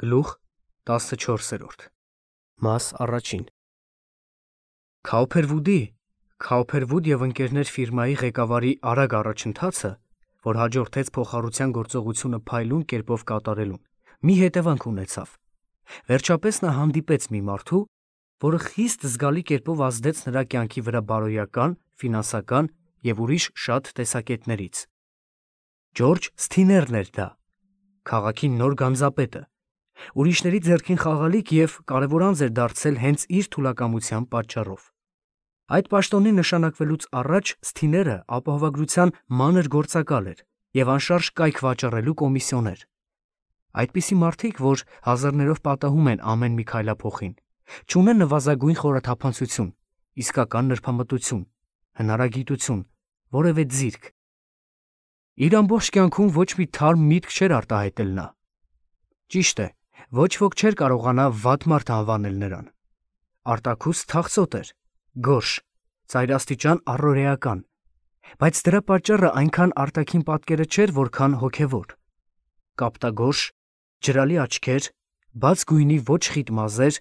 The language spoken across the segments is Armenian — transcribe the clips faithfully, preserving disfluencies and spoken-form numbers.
Գլուխ տասնչորսերորդ Մաս առաջին Քաուփերվուդի Քաուփերվուդ և ընկերներ ֆիրմայի ղեկավարի արագ առաջընթացը, որ հաջորդեց փոխառության գործողությունը փայլուն կերպով կատարելուն, մի հետևանք ունեցավ. վերջապես նա հանդիպեց մի մարդու, որը խիստ զգալի կերպով ազդեց նրա կյանքի վրա բարոյական, ֆինանսական և ուրիշ շատ տեսակետներից։ Ջորջ Սթիներն էր դա, քաղաքի նոր գանձապետը, ուրիշների ձեռքին խաղալիք և կարևորանձ էր դարձել հենց իր թուլակամության պատճառով։ Այդ պաշտոնին նշանակվելուց առաջ Սթիները ապահովագրության մանր գործակալ էր և անշարժ կայք վաճառելու կոմիսիոներ։ Այդպիսի մարդիկ, որ հազարներով պատահում են ամեն մի քայլափոխին, չունեն նվազագույն խորաթափանցություն, իսկական նրբամտություն, հնարագիտություն, որևէ ձիրք։ Իր ամբողջ կյանքում ոչ մի թարմ միտք չէր արտահայտել նա։ Ճիշտ է, ոչ ոք չէր կարողանա վատ մարդ անվանել նրան։ Արտաքուստ թախծոտ էր, գորշ, ծայրաստիճան առօրեական, բայց դրա պատճառը այնքան արտաքին պատկերը չէր, որքան հոգևոր։ Կապտագորշ, ջրալի աչքեր, բաց գույնի ոչ խիտ մազեր,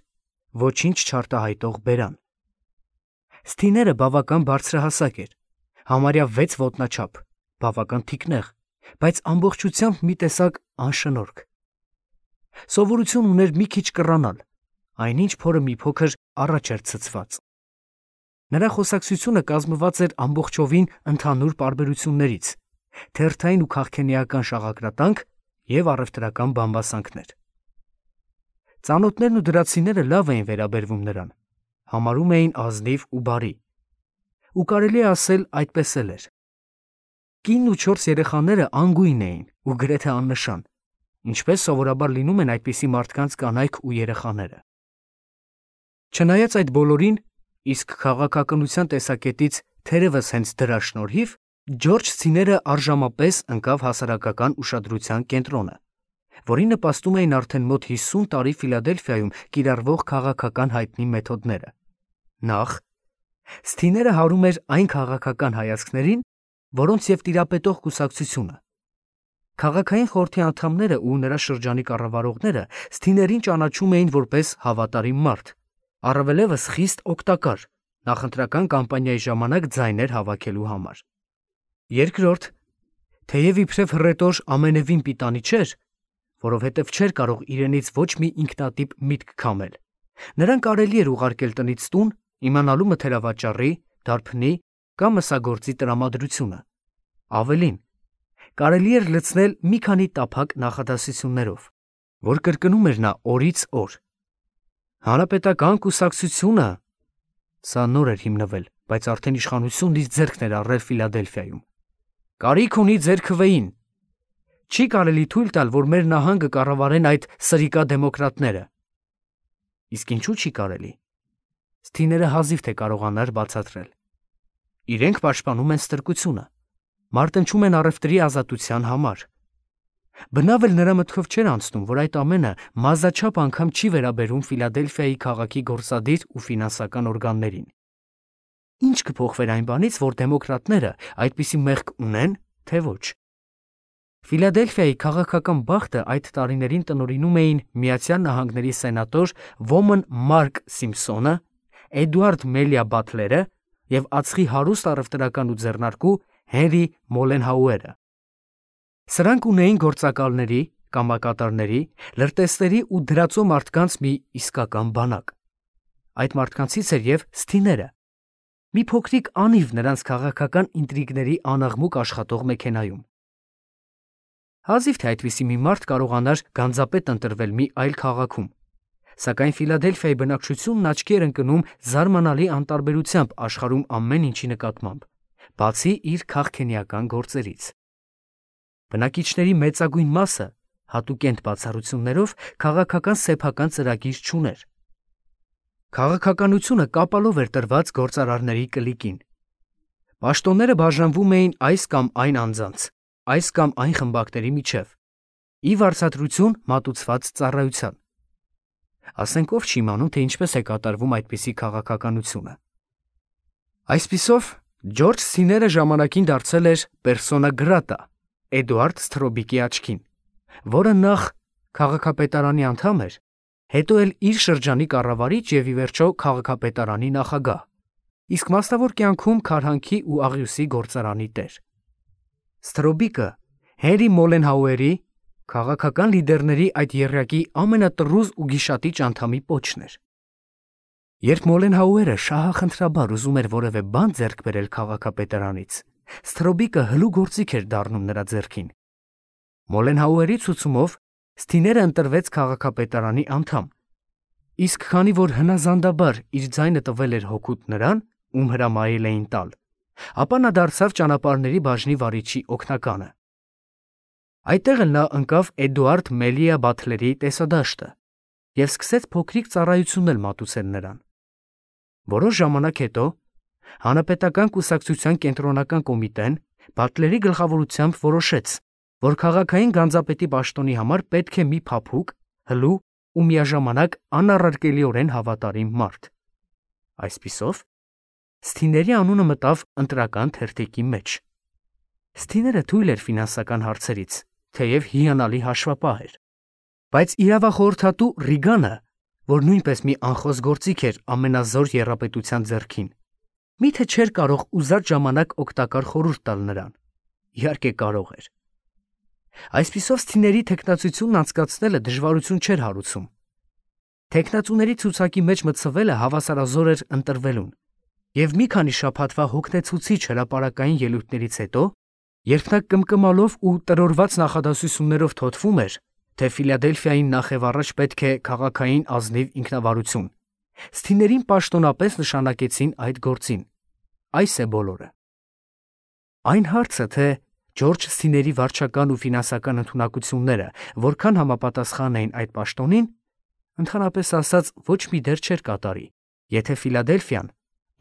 ոչինչ չարտահայտող բերան։ Սթիները բավական բարձրահասակ էր, համարյա վեց ոտնաչափ, բավական թիկնեղ, բայց ամբողջությամբ մի տեսակ անշնորհք։ Սովորություն ուներ մի քիչ կռանալ, այնինչ փորը մի փոքր առաջ էր ցցված։ Նրա խոսակցությունը կազմված էր ամբողջովին ընդհանուր պարբերություններից, թերթային ու քաղքենիական շաղակրատանք և առևտրական բամբասանքներ։ Ծանոթներն ու դրացիները լավ էին վերաբերվում նրան, համարում էին ազնիվ ու բարի։ Ու կարելի է ասել այդպես էլ էր։ Կինն ու չորս երեխաները անգույն էին ու գրեթե աննշան, ինչպես սովորաբար լինում են այդպիսի մարդկանց կանայք ու երեխաները։ Չնայած այդ բոլորին, իսկ քաղաքականության տեսակետից թերևս հենց դրա շնորհիվ, Ջորջ Սթիները առժամապես ընկավ հասարակական ուշադրության կենտրոնը, որի նպաստում էին արդեն մոտ հիսուն տարի Ֆիլադելֆիայում կիրառվող քաղաքական հայտնի մեթոդները։ Նախ, Սթիները հարում էր այն քաղաքական հայացքներին, որոնց և տիրապետող կուսակցությունը։ Քաղաքային խորհրդի անդամները ու նրա շրջանի կառավարողները Սթիներին ճանաչում էին որպես հավատարիմ մարդ, առավելևս խիստ օգտակար նախընտրական կամպանիայի ժամանակ ձայներ հավաքելու համար։ Երկրորդ, թեև իբրև հռետոր ամենևին պիտանի չէր, որովհետև չէր կարող իրենից ոչ մի ինքնատիպ միտք քամել, նրան կարելի էր ուղարկել տնից տուն, իմանալու մթերավաճառի, դարբնի կամ մսագործի տրամադրությունը։ Ավելին, կարելի էր լցնել մի քանի տափակ նախադասություններով, որ կրկնում էր նա օրից օր։ Հանրապետական կուսակցությունը, սա նոր էր հիմնվել, բայց արդեն իշխանությունն իր ձեռքն էր առել Ֆիլադելֆիայում, կարիք ունի ձեր քվեին։ Չի կարելի թույլ տալ, որ մեր նահանգը կառավարեն այդ սրիկա դեմոկրատները։ Իսկ ինչու՞ չի կարելի։ Սթիները հազիվ թե կարողանար բացատրել։ Իրենք պաշտպանում են ստրկությունը, մարտնչում են առևտրի ազատության համար։ Բնավ էլ նրա մտքով չէր անցնում, որ այդ ամենը մազաչափ անգամ չի վերաբերում Ֆիլադելֆիայի քաղաքի գործադիր ու ֆինանսական օրգաններին։ Ինչ կփոխվեր այն բանից, որ դեմոկրատները այդպիսի մեղք ունեն, թե ոչ։ Ֆիլադելֆիայի քաղաքական բախտը այդ տարիներին տնօրինում էին Միացյալ Նահանգների սենատոր Ոման Մարկ Սիմփսոնը, Էդուարդ Մելիա Բաթլերը և ածխի հարուստ առևտրական ու ձեռնարկու Հենրի Մոլենհաուերը։ Սրանք ունեին գործակալների, կամակատարների, լրտեսների ու դրածո մարդկանց մի իսկական բանակ։ Այդ մարդկանցից էր և Սթիները, մի փոքրիկ անիվ նրանց քաղաքական ինտրիգների անաղմուկ աշխատող մեքենայում։ Հազիվ թե այդպիսի մի մարդ կարողանար գանձապետ ընտրվել մի այլ քաղաքում, սակայն Ֆիլադելֆիայի բնակչությունն աչքի էր ընկնում զարմանալի անտարբերությամբ աշխարհում ամեն ինչի նկատմամբ, բացի իր քաղքենիական գործերից։ Բնակիչների մեծագույն մասը, հատուկենտ բացառություններով, քաղաքական սեփական ծրագիր չուներ։ Քաղաքականությունը կապալով էր տրված գործարարների կլիկին։ Պաշտոնները բաժանվում էին այս կամ այն անձանց, այս կամ այն խմբակների միջև, ի վարձատրություն մատուցված ծառայության։ Ասենք ով չի իմանում, թե ինչպես է կատարվում այդպիսի քաղաքականությունը։ Այսպիսով, Ջորջ Սթիները ժամանակին դարձել էր պերսոնա գրատա Էդուարդ Սթրոբիկի աչքին, որը նախ քաղաքապետարանի անդամ էր, հետո էլ իր շրջանի կառավարիչ եւ ի վերջո քաղաքապետարանի նախագահ, իսկ մասնավոր կյանքում Քարհանքի ու Աղյուսի գործարանի տեր։ Ստրոբիկը Հենրի Մոլենհաուերի քաղաքական լիդերների այդ եռյակի ամենատրուզ ու գիշատիչ անդամի պոչն էր։ Երբ Մոլենհաուերը շահախնդրաբար ուզում էր որևէ բան ձեռք բերել քաղաքապետարանից, Ստրոբիկը հլու գործիք էր դառնում նրա ձեռքին։ Մոլենհաուերի ցուցումով Սթիները ընտրվեց քաղաքապետարանի անդամ, իսկ քանի որ հնազանդաբար իր ձայնը տվել էր հօգուտ նրան, ում հրամայել էին տալ, ապա նա դարձավ ճանապարհների բաժնի վարիչի օգնականը։ Այդտեղ էլ նա ընկավ Էդուարդ Մելիա Բաթլերի տեսադաշտը և սկսեց փոքրիկ ծառայություններ մատուցել նրան։ Որոշ ժամանակ հետո Հանրապետական կուսակցության կենտրոնական կոմիտեն Բաթլերի գլխավորությամբ որոշեց, որ քաղաքային գանձապետի պաշտոնի համար պետք է մի փափուկ, հլու ու միաժամանակ անառարկելիորեն հավատարիմ մարդ։ Այսպիսով, Սթիների անունը մտավ ընտրական թերթիկի մեջ։ Սթիները թույլ էր ֆինանսական հարցերից, թեև հիանալի հաշվապահ էր, բայց իրավախորհրդատու Ռիգանը, որ նույնպես մի անխոս գործիք էր ամենազոր եռապետության ձեռքին, միթե չէր կարող ուզած ժամանակ օգտակար խորհուրդ տալ նրան։ Իհարկե կարող էր։ Այսպիսով Սթիների թեկնածությունն անցկացնելը դժվարություն չէր հարուցում։ Թեկնածուների ցուցակի մեջ մտցվելը հավասարազոր էր ընտրվելուն, և մի քանի շաբաթվա հոգնեցուցիչ հրապարակային ելույթներից հետո, երբ նա կմկմալով ու տրորված նախադասություններով թոթվում էր, թե Ֆիլադելֆիային նախևառաջ պետք է քաղաքային ազնիվ ինքնավարություն, Սթիներին պաշտոնապես նշանակեցին այդ գործին։ Այս է բոլորը։ Այն հարցը, թե Ջորջ Սթիների վարչական ու ֆինանսական ընդունակությունները որքան համապատասխան էին այդ պաշտոնին, ընդհանրապես ասած ոչ մի դեր չէր կատարի, եթե Ֆիլադելֆիան,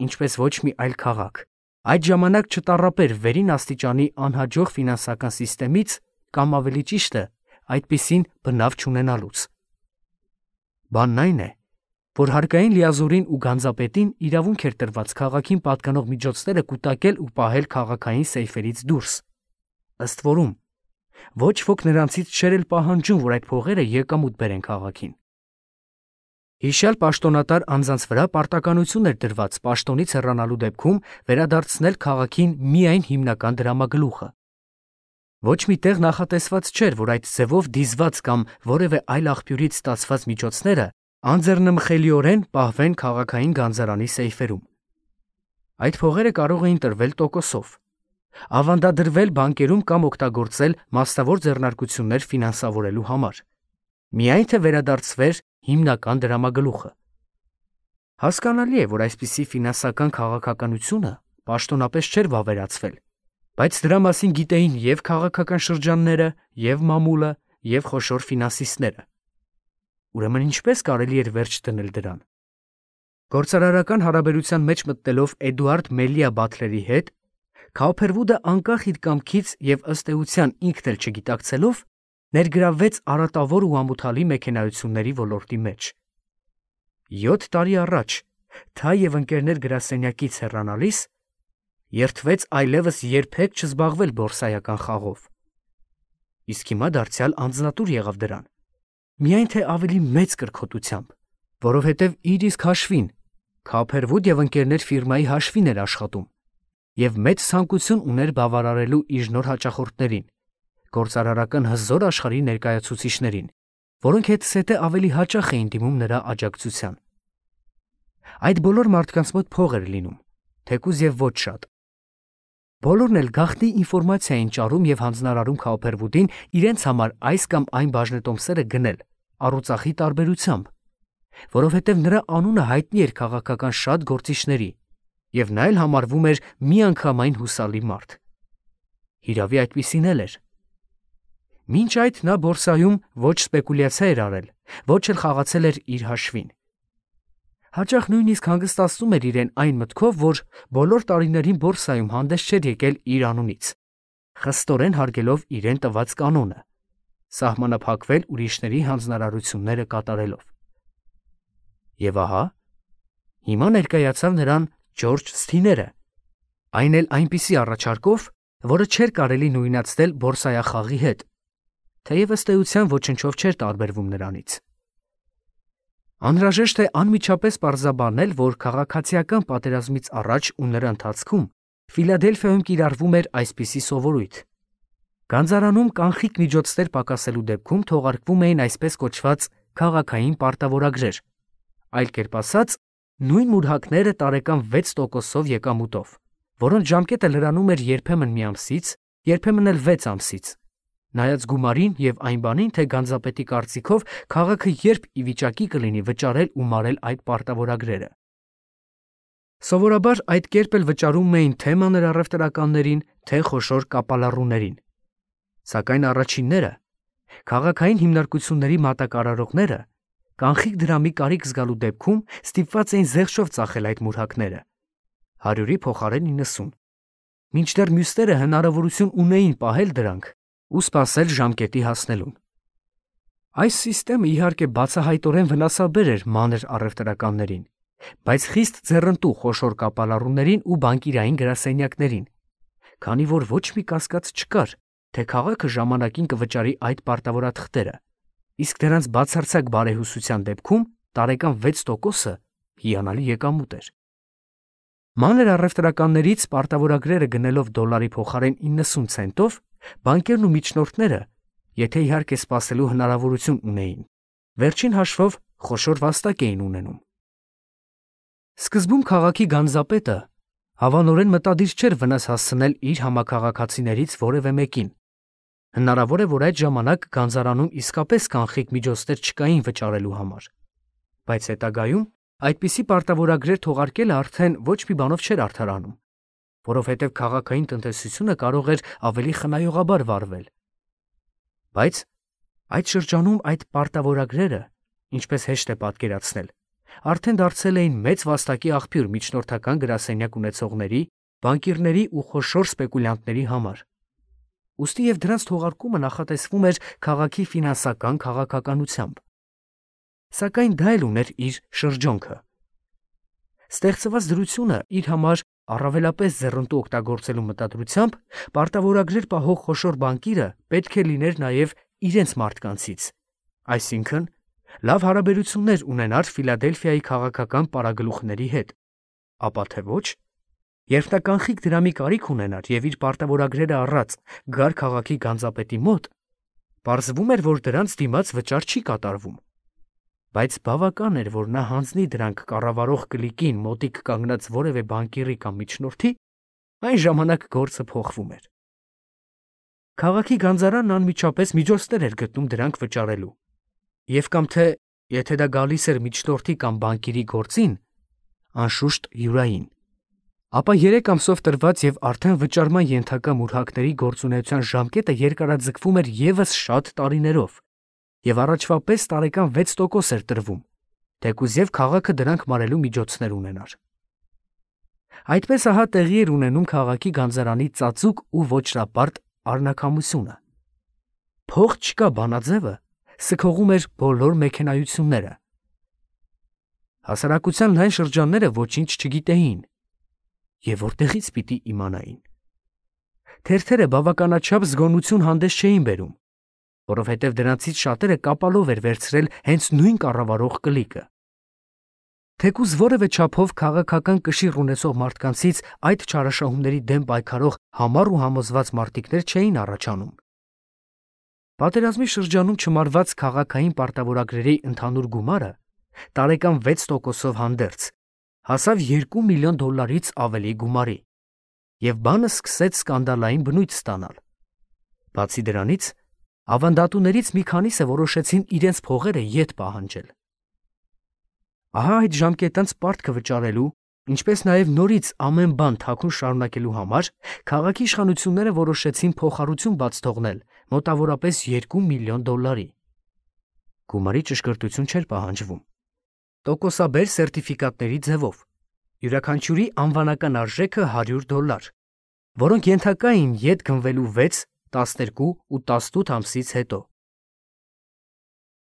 ինչպես ոչ մի այլ քաղաք, այդ ժամանակ չտառապեր վերին աստիճանի անհաջող ֆինանսական սիստեմից կամ ավելի ճիշտ է, այդպիսին բնավ չունենալուց։ Բանն այն է, որ հարկային լիազորին ու գանձապետին իրավունք էր տրված քաղաքին պատկանող միջոցները կուտակել ու պահել քաղաքային սեյֆերից դուրս։ Ըստ որում, ոչ ոք նրանցից չէր էլ պահանջում, որ այդ փողերը եկամուտ բերեն քաղաքին։ Հիշյալ պաշտոնատար անձանց վրա պարտականություն էր դրված պաշտոնից հեռանալու դեպքում վերադարձնել քաղաքին միայն հիմնական դրամագլուխը։ Ոչ մի տեղ նախատեսված չէր, որ այդ ձևով դիզված կամ որևէ այլ աղբյուրից ստացված միջոցները անձեռնմխելիորեն պահվեն քաղաքային գանձարանի սեյֆերում։ Այդ փողերը կարող էին տրվել տոկոսով, ավանդադրվել բանկերում կամ օգտագործել մասնավոր ձեռնարկություններ ֆինանսավորելու համար, միայն թե վերադարձվեր հիմնական դրամագլուխը։ Հասկանալի է, որ այսպիսի ֆինանսական քաղաքականությունը պաշտոնապես չէր վավերացվել, բայց դրա մասին գիտեին և քաղաքական շրջանները, և մամուլը, և խոշոր ֆինանսիստները։ Ուրեմն ինչպես կարելի էր վերջ դնել դրան։ Գործարարական հարաբերության մեջ մտնելով Էդուարդ Մելիա Բաթլերի հետ, Քաուփերվուդը անկախ իր կամքից և ըստ էության ինքն էլ չգիտակցելով, ներգրավվեց առատավոր ու ամոթալի մեքենայությունների ոլորտի մեջ։ Յոթ տարի առաջ, Թայ և ընկերներ գրասենյակից հեռանալիս, երդվեց այլևս երբեք չզբաղվել բորսայական խաղով։ Իսկ հիմա դարձյալ անձնատուր եղավ դրան, միայն թե ավելի մեծ կրքոտությամբ, որովհետև իր իսկ հաշվին, Քաուփերվուդ և ընկերներ ֆիրմայի հաշվին էր աշխատում, և մեծ ցանկություն ուներ բավարարելու իր նոր հաճախորդներին, գործարարական հզոր աշխարհի ներկայացուցիչներին, որոնք հետզհետե ավելի հաճախ էին դիմում նրա աջակցության։ Այդ բոլոր մարդկանց մոտ փող էր լինում, թեկուզ և ոչ շատ։ Բոլորն էլ գաղտնի ինֆորմացիա էին ճարում և հանձնարարում Քաուփերվուդին իրենց համար այս կամ այն բաժնետոմսերը գնել, առուծախի տարբերությամբ, որովհետև նրա անունը հայտնի էր քաղաքական շատ գործիչների, և նա էլ համարվում էր միանգամայն հուսալի մարդ։ Հիրավի այդպիսին էլ էր։ Մինչ այդ նա բորսայում ոչ սպեկուլյացիա էր արել, ոչ էլ խաղացել էր իր հաշվին։ Հաճախ նույնիսկ հանգստացնում էր իրեն այն մտքով, որ բոլոր տարիներին բորսայում հանդես չէր եկել իր անունից, խստորեն հարգելով իրեն տված կանոնը, սահմանափակվել ուրիշների հանձնարարությունները կատարելով։ Եվ ահա, հիմա ներկայացավ նրան Ջորջ Սթիները, այն էլ այնպիսի առաջարկով, որը չէր կարելի նույնացնել բորսայախաղի հետ, թեև ըստ էության ոչնչով չէր տարբերվում նրանից։ Անհրաժեշտ է անմիջապես պարզաբանել, որ քաղաքացիական պատերազմից առաջ ու նրա ընթացքում Ֆիլադելֆիայում կիրառվում էր այսպիսի սովորույթ. Գանձարանում կանխիկ միջոցներ պակասելու դեպքում թողարկվում էին այսպես կոչված քաղաքային պարտավորագրեր, այլ կերպ ասած, նույն մուրհակները տարեկան վեց տոկոսով եկամուտով, որոնց ժամկետը լրանում էր երբեմն մի ամսից, երբեմն էլ վեց ամսից, նայած գումարին և այն բանին, թե գանձապետի կարծիքով քաղաքը երբ ի վիճակի կլինի վճարել ու մարել այդ պարտավորագրերը։ Սովորաբար այդ կերպ էլ վճարում էին թե մանր առևտրականներին, թե խոշոր կապալառուներին։ Սակայն առաջինները, քաղաքային հիմնարկությունների մատակարարողները, կանխիկ դրամի կարիք զգալու դեպքում ստիպված էին զեղչով ծախել այդ մուրհակները, հարյուրի փոխարեն իննսուն, մինչդեռ մյուսները հնարավորություն ունեին պահել դրանք ու սպասել ժամկետի հասնելուն։ Այս սիստեմը իհարկե բացահայտորեն վնասաբեր էր մանր առևտրականներին, բայց խիստ ձեռնտու խոշոր կապալառուներին ու բանկիրային գրասենյակներին, քանի որ ոչ մի կասկած չկար, թե քաղաքը ժամանակին կվճարի այդ պարտավորաթղթերը, իսկ դրանց բացարձակ բարեհուսության դեպքում տարեկան վեց տոկոսը հիանալի եկամուտ էր։ Մանր առևտրականներից պարտավորագրերը գնելով դոլարի փոխարեն իննսուն ցենտով, բանկերն ու միջնորդները, եթե իհարկե սպասելու հնարավորություն ունեին, վերջին հաշվով խոշոր վաստակ էին ունենում։ Սկզբում քաղաքի գանձապետը հավանորեն մտադիր չէր վնաս հասցնել իր համաքաղաքացիներից որևէ մեկին։ Հնարավոր է, որ այդ ժամանակ գանձարանում իսկապես կանխիկ միջոցներ չկային վճարելու համար, բայց հետագայում այդպիսի պարտավորագրեր թողարկելը արդեն ոչ մի բանով չէր արդարանում, որովհետև քաղաքային տնտեսությունը կարող էր ավելի խնայողաբար վարվել։ Բայց այդ շրջանում այդ պարտավորագրերը, ինչպես հեշտ է պատկերացնել, արդեն դարձել էին մեծ վաստակի աղբյուր միջնորդական գրասենյակ ունեցողների, բանկիրների ու խոշոր սպեկուլյանտների համար։ Ուստի և դրանց թողարկումը նախատեսվում էր քաղաքի ֆինանսական քաղաքականությամբ։ Սակայն դա էլ ուներ իր շրջոնքը։ Ստեղծված դրությունը իր համար առավելապես ձեռնտու օգտագործելու մտադրությամբ պարտավորագրեր պահող խոշոր բանկիրը պետք է լիներ նաև իրենց մարդկանցից, այսինքն լավ հարաբերություններ ունենար Ֆիլադելֆիայի քաղաքական պարագլուխների հետ, ապա թե ոչ, երբ նա կանխիկ դրամի կարիք ունենար և իր պարտավորագրերը առած գար քաղաքի գանձապետի մոտ, պարզվում էր, որ դրանց դիմաց վճար չի կատարվում, բայց բավական էր, որ նա հանձնի դրանք կառավարող կլիկին մոտիկ կանգնած որևէ բանկիրի կամ միջնորդի, այն ժամանակ գործը փոխվում էր։ Քաղաքի գանձարանն անմիջապես միջոցներ էր գտնում դրանք վճարելու, և կամ թե, եթե դա գալիս էր միջնորդի կամ բանկիրի գործին, անշուշտ յուրային, ապա երեք ամսով տրված և արդեն վճարման ենթակա մուրհակների գործունեության ժամկետը երկարաձգվում էր ևս շատ տարիներով, և առաջվա պես տարեկան վեց տոկոս էր տրվում, թեկուզ և քաղաքը դրանք մարելու միջոցներ ունենար։ Այդպես ահա տեղի էր ունենում քաղաքի գանձարանի ծածուկ ու ոճրապարտ առնաքամությունը։ Փող չկա բանաձևը սքողում էր բոլոր մեքենայությունները։ Հասարակության լայն շրջանները ոչինչ չգիտեին, և որտեղից պիտի իմանային։ Թերթերը բավականաչափ զգոնություն հանդես չէին բերում, որովհետև դրանցից շատերը կապալով էր վերցրել հենց նույն կառավարող կլիկը։ Թեկուզ որևէ չափով քաղաքական կշիռ ունեցող մարդկանցից այդ չարաշահումների դեմ պայքարող համառ ու համոզված մարտիկներ չէին առաջանում։ Պատերազմի շրջանում չմարված քաղաքային պարտավորագրերի ընդհանուր գումարը տարեկան վեց տոկոսով հանդերձ հասավ երկու միլիոն դոլարից ավելի գումարի, և բանը սկսեց սկանդալային բնույթ ստանալ։ Բացի դրանից, ավանդատուներից մի քանիսը որոշեցին իրենց փողերը ետ պահանջել։ Ահա այդ ժամկետանց պարտքը վճարելու, ինչպես նաև նորից ամեն բան թաքուն շարունակելու համար քաղաքի իշխանությունները որոշեցին փոխառություն բաց թողնել մոտավորապես երկու միլիոն դոլարի։ Գումարի ճշգրտություն չէր պահանջվում։ Տոկոսաբեր սերտիֆիկատների ձևով, յուրաքանչյուրի անվանական արժեքը հարյուր դոլար, որոնք ենթակա էին ետ գնվելու վեց, տասներկու ու տասնութ ամսից հետո։